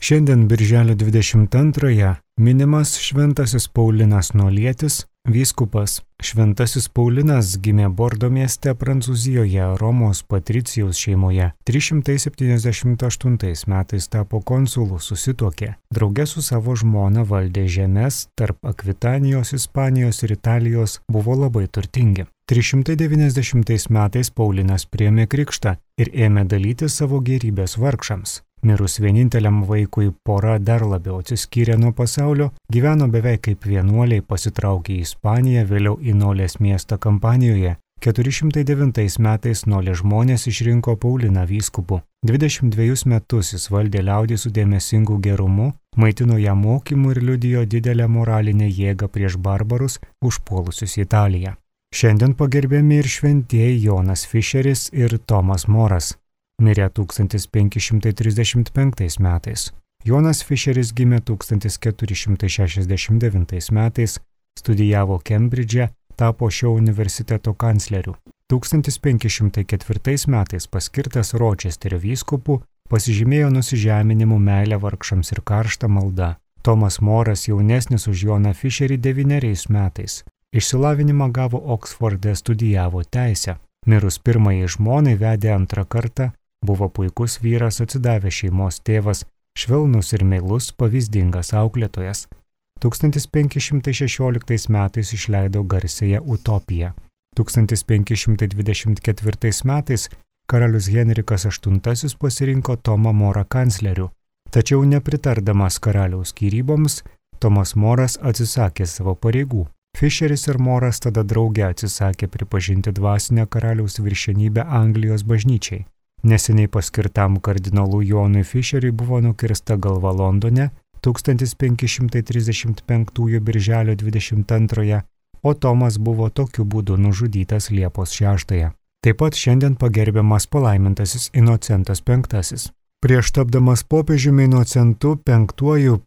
Šiandien birželio 22-ąją minimas Šventasis Paulinas Nolietis, vyskupas. Šventasis Paulinas gimė Bordo mieste Prancūzijoje Romos patricijaus šeimoje. 378 metais tapo konsulu, susituokė. Drauge su savo žmona valdė žemes tarp Akvitanijos, Ispanijos ir Italijos, buvo labai turtingi. 390 metais Paulinas priėmė krikštą ir ėmė dalyti savo gėrybės vargšams. Mirus vieninteliam vaikui pora dar labiau atsiskyrė nuo pasaulio, gyveno beveik kaip vienuoliai, pasitraukė į Ispaniją, vėliau į Nolės miestą Kampanijoje. 409 metais Nolės žmonės išrinko Pauliną vyskupu. 22 metus jis valdė liaudį su dėmesingu gerumu, maitino ją mokymu ir liudijo didelę moralinę jėgą prieš barbarus užpuolusius Italiją. Šiandien pagerbiami ir šventieji Jonas Fišeris ir Tomas Moras. Mirė 1535 metais. Jonas Fišeris gimė 1469 metais, studijavo Kembridže, tapo šio universiteto kancleriu. 1504 metais paskirtas Ročesterio vyskupu, pasižymėjo nusižeminimu, meilę vargšams ir karštą maldą. Tomas Moras jaunesnis už Joną Fišerį 9 metais. Išsilavinimą gavo Oksforde, studijavo teisę. Mirus pirmajai žmonai vedė antrą kartą, buvo puikus vyras, atsidavęs šeimos tėvas, švelnus ir meilus, pavyzdingas auklėtojas. 1516 metais išleido garsiąją Utopiją. 1524 metais karalius Henrikas VIII pasirinko Tomą Morą kancleriu. Tačiau nepritardamas karaliaus skyryboms, Tomas Moras atsisakė savo pareigų. Fišeris ir Moras tada drauge atsisakė pripažinti dvasinę karaliaus viršenybę Anglijos bažnyčiai. Neseniai paskirtam kardinolui Jonui Fišeriui buvo nukirsta galva Londone 1535 birželio 22, o Tomas buvo tokiu būdu nužudytas Liepos 6. Taip pat šiandien pagerbiamas palaimintasis Inocentas V. Prieš tapdamas popiežiumi Inocentu V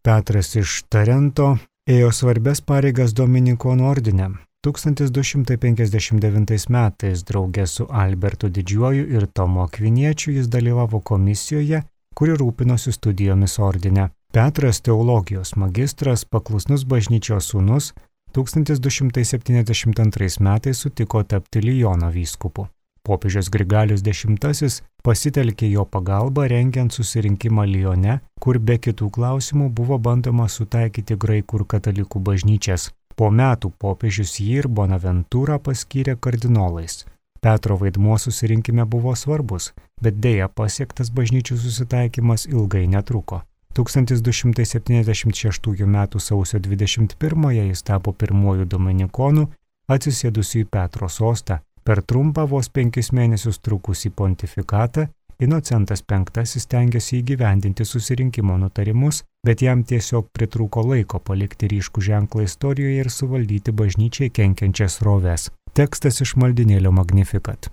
Petras iš Tarento ėjo svarbias pareigas Dominikonų ordine. 1259 metais draugė su Albertu Didžiuoju ir Tomu Akviniečiu jis dalyvavo komisijoje, kuri rūpinosi studijomis ordine. Petras teologijos magistras, paklusnus bažnyčios sūnus, 1272 metais sutiko tapti Liono vyskupu. Popiežius Grigalius X pasitelkė jo pagalbą rengiant susirinkimą Lione, kur be kitų klausimų buvo bandoma sutaikyti graikų ir katalikų bažnyčias. Po metų popiežius jį ir Bonaventūrą paskyrė kardinolais. Petro vaidmuo susirinkime buvo svarbus, bet dėja pasiektas bažnyčių susitaikymas ilgai netruko. 1276 m. sausio 21 jis tapo pirmuoju dominikonu, atsisėdusiu į Petro sostą. Per trumpą vos 5 mėnesius trukusį pontifikatą Inocentas V stengėsi įgyvendinti susirinkimo nutarimus, bet jam tiesiog pritrūko laiko palikti ryškų ženklą istorijoje ir suvaldyti bažnyčiai kenkiančias sroves. Tekstas iš maldynėlio Magnificat.